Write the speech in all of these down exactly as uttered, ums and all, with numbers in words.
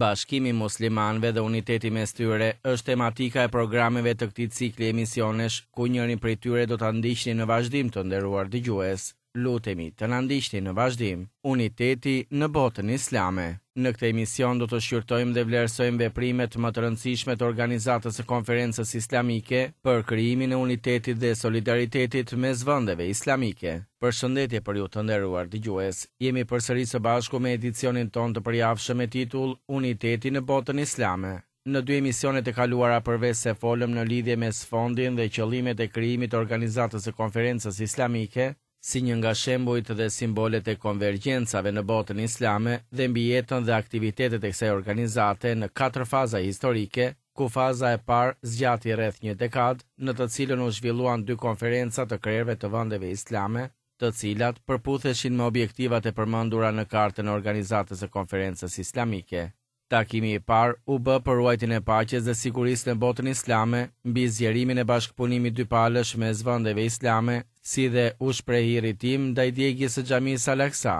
Bashkimi i muslimanëve dhe uniteti mes tyre është tematika e programeve të këtij cikli emisionesh, ku njërin prej tyre do ta ndiqni në vazhdim, të nderuar dëgjues. Lutemi të na ndiqni në vazhdim. Uniteti në botën islame. Në këtë emision do të shqyrtojmë dhe vlerësojmë veprimet më të rëndësishme të Organizatës së Konferencës Islamike për krijimin e unitetit dhe solidaritetit mes vendeve islamike. Përshëndetje për ju, të nderuar dëgjues. Jemi përsëri së bashku me edicionin tonë të përjavshëm me titull Uniteti në botën islame. Në dy emisionet e kaluara, përveç se folëm në lidhje me sfondin dhe qëllimet e krijimit të Organizatës së Konferencës Islamike, si një nga shembujt dhe simbolet e konvergjencave në botën islame dhe mbi jetën dhe aktivitetet e kësaj organizate në katër faza historike, ku faza e parë zgjati rreth një dekadë, në të cilën u zhvilluan dy konferenca të krerëve të vendeve islame, të cilat përputheshin me objektivat e përmendura në kartën e Organizatës së Konferencës Islamike. Takimi i parë u bë për ruajtjen e paqes dhe sigurisë në botën islame, mbi zgjerimin e bashkëpunimit dypalësh mes vendeve islame, si dhe u shpreh irritim ndaj djegies së xhamisë Al-Aqsa.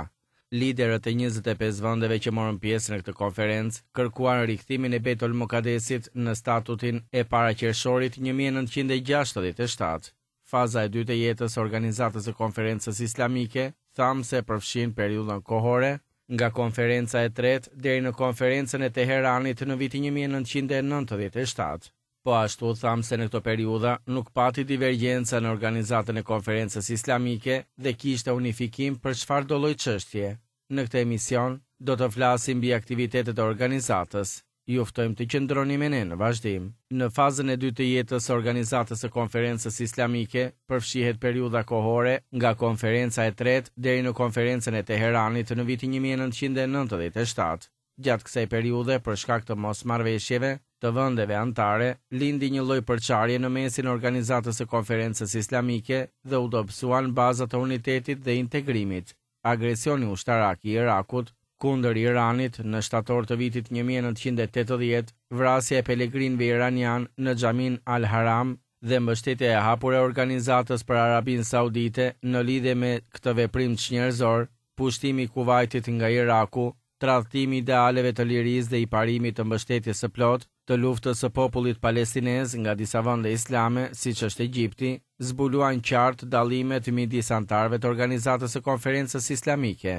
Liderët e njëzet e pesë vendeve që morën pjesë në këtë konferencë kërkuan rikthimin e Bejtul Mukadesit në statutin e para qershorit një mijë e nëntëqind e gjashtëdhjetë e shtatë. Faza e dytë e jetës së Organizatës së Konferencës Islamike, thamë se përfshin periudhën kohore nga konferenca e tretë deri në konferencën e Teheranit në vitin një mijë e nëntëqind e nëntëdhjetë e shtatë. Po ashtu thamë se në këto periudha nuk pati divergjenca në Organizatën e Konferencës Islamike dhe kishte unifikim për çfarëdo lloj çështje. Në këtë emision do të flasim mbi aktivitetet e organizatës. Ju ftojmë të qëndroni me ne në vazhdim. Në fazën e dytë të jetës së Organizatës së Konferencës Islamike përfshihet periudha kohore nga konferenca e tretë deri në konferencën e Teheranit në vitin një mijë e nëntëqind e nëntëdhjetë e shtatë. Gjatë kësaj periudhe, për shkak të mosmarrëveshjeve të vendeve anëtare, lindi një lloj përçarje në mesin e Organizatës së Konferencës Islamike dhe u dobësuan bazat e unitetit dhe integrimit. Agresioni ushtarak i Irakut kundër Iranit në shtator të vitit një mijë e nëntëqind e tetëdhjetë, vrasja e pelegrinëve iranian në xhamin Al-Haram dhe mbështetja e hapur e Organizatës për Arabinë Saudite në lidhje me këtë veprim çnjerëzor, pushtimi i Kuvajtit nga Iraku, tradhtimi i idealeve të lirisë dhe i parimit të mbështetjes së plotë të luftës së popullit palestinez nga disa vende islame, siç është Egjipti, zbuluan qartë dallimet midis anëtarëve të Organizatës së Konferencës Islamike.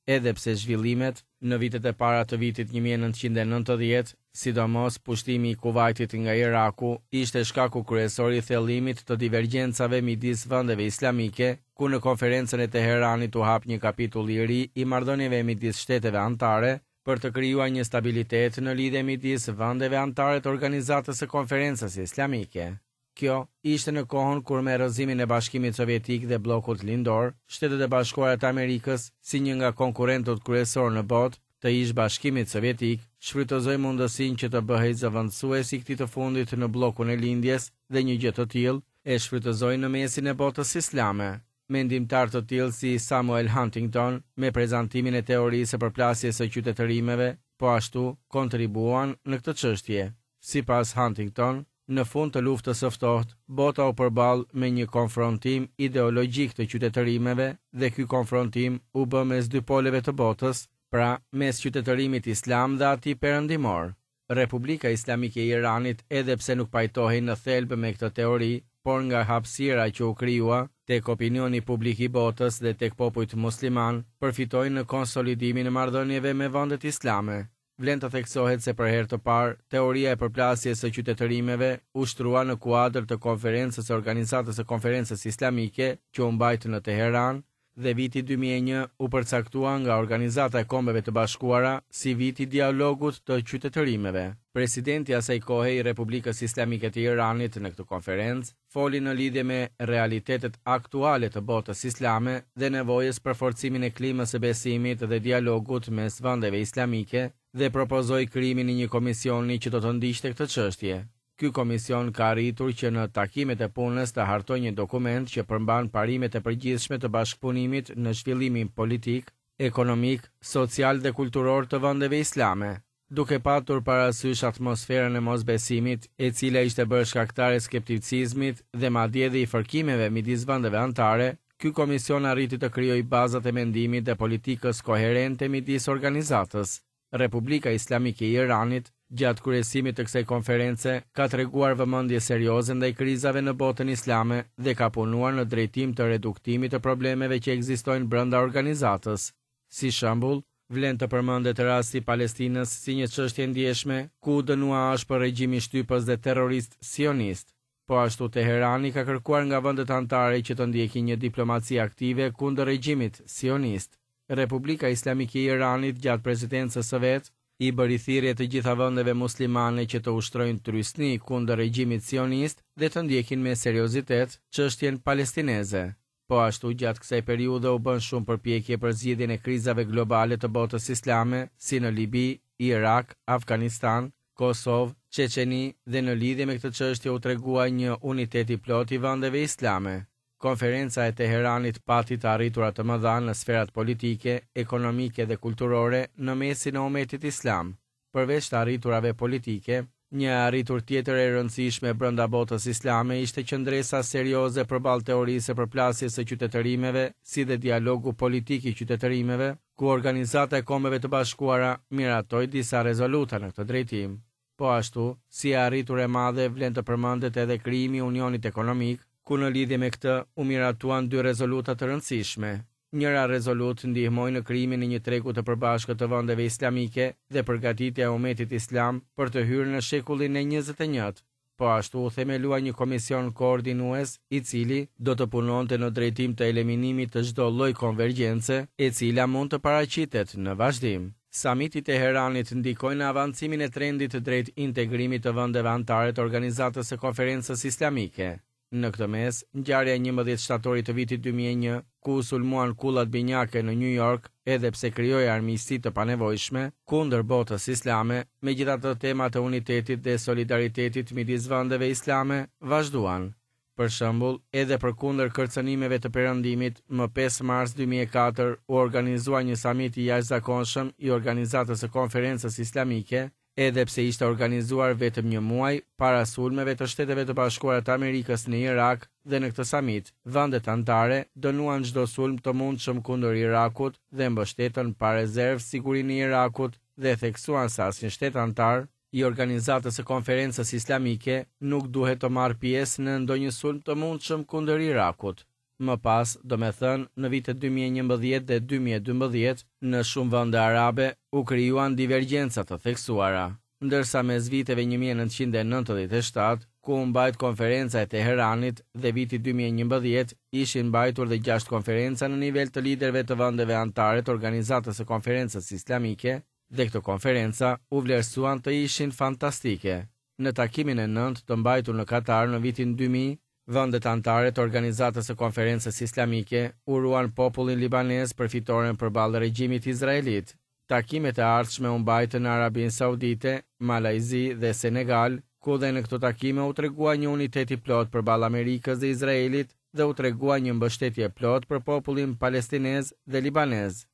Edhe pse zhvillimet në vitet e para të vitit një mijë e nëntëqind e nëntëdhjetë, sidomos pushtimi i Kuvajtit nga Iraku, ishte shkaku kryesor i thellimit të divergjencave midis vendeve islamike, ku në konferencën e Teheranit u hap një kapitull i ri i marrëdhënieve midis shteteve anëtare për të krijuar një stabilitet në lidhje midis vendeve anëtare të Organizatës së Konferencës Islamike. Kjo ishte në kohën kur me rrëzimin e Bashkimit Sovjetik dhe bllokut lindor, Shtetet e Bashkuara të Amerikës, si një nga konkurrentët kryesor në botë të ish Bashkimit Sovjetik, shfrytëzoi mundësinë që të bëhej zëvendësues i këtij të fundit në bllokun e lindjes dhe një gjë të tillë e shfrytëzoi në mesin e botës islame. Mendimtar të tillë si Samuel Huntington, me prezantimin e teorisë së përplasjes së qytetërimeve, po ashtu kontribuan në këtë çështje. Sipas Huntington, në fund të luftës së ftohtë, bota u përball me një konfrontim ideologjik të qytetërimeve dhe ky konfrontim u bë mes dy poleve të botës, pra mes qytetërimit islam dhe atij perëndimor. Republika Islamike e Iranit, edhe pse nuk pajtohej në thelb me këtë teori, por nga hapësira që u krijua tek opinioni publik i botës dhe tek popujt musliman, përfitoi në konsolidimin e marrëdhënieve me vendet islame. Vlen të theksohet se për herë të parë, teoria e përplasjes së qytetërimeve u shtrua në kuadër të konferencës së Organizatës së Konferencës Islamike që u mbajt në Teheran dhe viti dy mijë e një u përcaktua nga Organizata e Kombeve të Bashkuara si viti i dialogut të qytetërimeve. Presidenti asaj kohe i Republikës Islamike të Iranit në këtë konferencë foli në lidhje me realitetet aktuale të botës islame dhe nevojës për forcimin e klimës së besimit dhe dialogut mes vendeve islamike dhe propozoi krijimin e një komisioni që do të ndiqte këtë çështje. Ky komision ka arritur që në takimet e punës të hartojë një dokument që përmban parimet e përgjithshme të bashkëpunimit në zhvillimin politik, ekonomik, social dhe kulturor të vendeve islame, duke patur parasysh atmosferën e mosbesimit, e cila ishte bërë shkaktare e skepticizmit dhe madje edhe i fërkimeve midis vendeve anëtare. Ky komision arriti të krijojë bazat e mendimit dhe politikës koherente midis organizatës. Republika Islamike e Iranit, gjatë kryesimit të kësaj konference, ka treguar vëmendje serioze ndaj krizave në botën islame dhe ka punuar në drejtim të reduktimit të problemeve që ekzistojnë brenda organizatës. Si shembull, vlen të përmendet rasti i Palestinës si një çështje e ndjeshme, ku u dënua ashpër regjimi shtypës dhe terrorist sionist. Po ashtu Teherani ka kërkuar nga vendet anëtare që të ndjekin një diplomaci aktive kundër regjimit sionist. Republika Islamike e Iranit gjatë presidencës së vet i bëri thirrje të gjitha vendeve muslimane që të ushtrojnë trysni kundër regjimit sionist dhe të ndjekin me seriozitet çështjen palestineze. Po ashtu gjatë kësaj periudhe u bën shumë përpjekje për zgjidhjen e krizave globale të botës islame, si në Libi, Irak, Afganistan, Kosovë, Çeçeni dhe në lidhje me këtë çështje u tregua një unitet i plotë i vendeve islame. Konferenca e Teheranit pati të arritura të mëdha në sferat politike, ekonomike dhe kulturore në mesin e umetit islam. Përveç të arriturave politike, një arritur tjetër e rëndësishme brenda botës islame ishte qëndresa serioze përballë teorisë së përplasjes së qytetërimeve, si dhe dialogu politik i qytetërimeve, ku Organizata e Kombeve të Bashkuara miratoi disa rezoluta në këtë drejtim. Po ashtu, si e arritur e madhe vlen të përmendet edhe krijimi i Unionit Ekonomik, ku në lidhje me këtë u miratuan dy rezoluta të rëndësishme. Njëra rezolutë ndihmoi në krijimin e një tregu të përbashkët të vendeve islamike dhe përgatitja e umetit islam për të hyrë në shekullin e njëzet e njëjtë. Po ashtu u themelua një komision koordinues i cili do të punonte në drejtim të eliminimit të çdo lloj konvergjence, e cila mund të paraqitet në vazhdim. Samiti i Teheranit ndikoi në avancimin e trendit drejt integrimit të vendeve anëtare të Organizatës së Konferencës Islamike. Në këtë mes, ngjarja e njëmbëdhjetë shtatorit të vitit dy mijë e një, ku u sulmuan kullat binjake në New York, edhe pse krijoi armiqësi të panevojshme kundër botës islame, megjithatë temat e unitetit dhe solidaritetit midis vendeve islame vazhduan. Për shembull, edhe përkundër kërcënimeve të Perëndimit, më pesë mars dy mijë e katër u organizua një samit i jashtëzakonshëm i Organizatës së Konferencës Islamike, edhe pse ishte organizuar vetëm një muaj para sulmeve të Shteteve të Bashkuara të Amerikës në Irak dhe në këtë samit, vendet anëtare dënuan çdo sulm të mundshëm kundër Irakut dhe mbështetën pa rezervë sigurinë e Irakut dhe theksuan se asnjë shtet anëtar i Organizatës së Konferencës Islamike nuk duhet të marrë pjesë në ndonjë sulm të mundshëm kundër Irakut. Më pas, domethënë, në vitet dy mijë e njëmbëdhjetë dhe dy mijë e dymbëdhjetë, në shumë vende arabe u krijuan divergjenca të theksuara, ndërsa mes viteve një mijë e nëntëqind e nëntëdhjetë e shtatë, ku u mbajt konferenca e Teheranit dhe viti dy mijë e njëmbëdhjetë, ishin mbajtur dhe gjashtë konferenca në nivel të liderëve të vendeve anëtare të Organizatës së Konferencës Islamike, dhe këto konferenca u vlerësuan të ishin fantastike. Në takimin e nëntë të mbajtur në Katar në vitin dy mijë, vendet anëtare të Organizatës së Konferencës Islamike uruan popullin libanez për fitoren përballë regjimit izraelit. Takimet e ardhshme u mbajtën në Arabinë Saudite, Malajzi dhe Senegal, ku dhe në këto takime u tregua një unitet i plot përballë Amerikës dhe Izraelit dhe u tregua një mbështetje e plotë për popullin palestinez dhe libanez.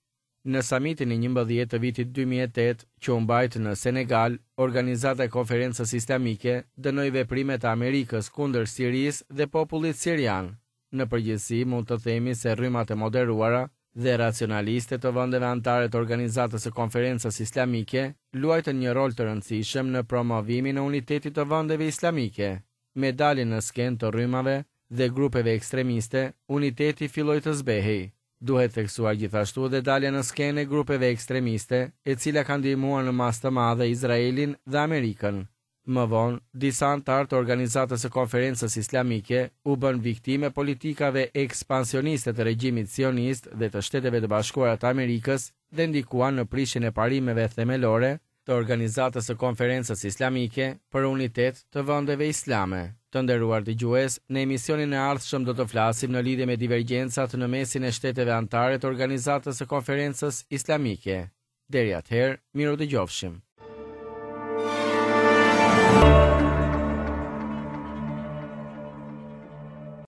Në samitin e njëmbëdhjetë të vitit dy mijë e tetë, që u mbajt në Senegal, Organizata e Konferencës Islamike dënoi veprimet e Amerikës kundër Sirisë dhe popullit sirian. Në përgjithësi mund të themi se rrymat e moderuara dhe racionaliste të vendeve anëtare të Organizatës së Konferencës Islamike luajtën një rol të rëndësishëm në promovimin e unitetit të vendeve islamike. Me daljen në skenë të rrymave dhe grupeve ekstremiste, uniteti filloi të zbehej. Duhet theksuar gjithashtu dhe dalja në skenë e grupeve ekstremiste, e cila ka ndihmuar në masë të madhe Izraelin dhe Amerikën. Më vonë, disa anëtarë të Organizatës së Konferencës Islamike u bën viktime politikave ekspansioniste të regjimit sionist dhe të Shteteve të Bashkuara të Amerikës dhe ndikuan në prishjen e parimeve themelore të Organizatës së Konferencës Islamike për unitet të vendeve islame. Të nderuar dëgjues, në emisionin e ardhshëm do të flasim në lidhje me divergjencat në mesin e shteteve anëtare të Organizatës së Konferencës Islamike. Deri atëherë, miru dëgjofshim.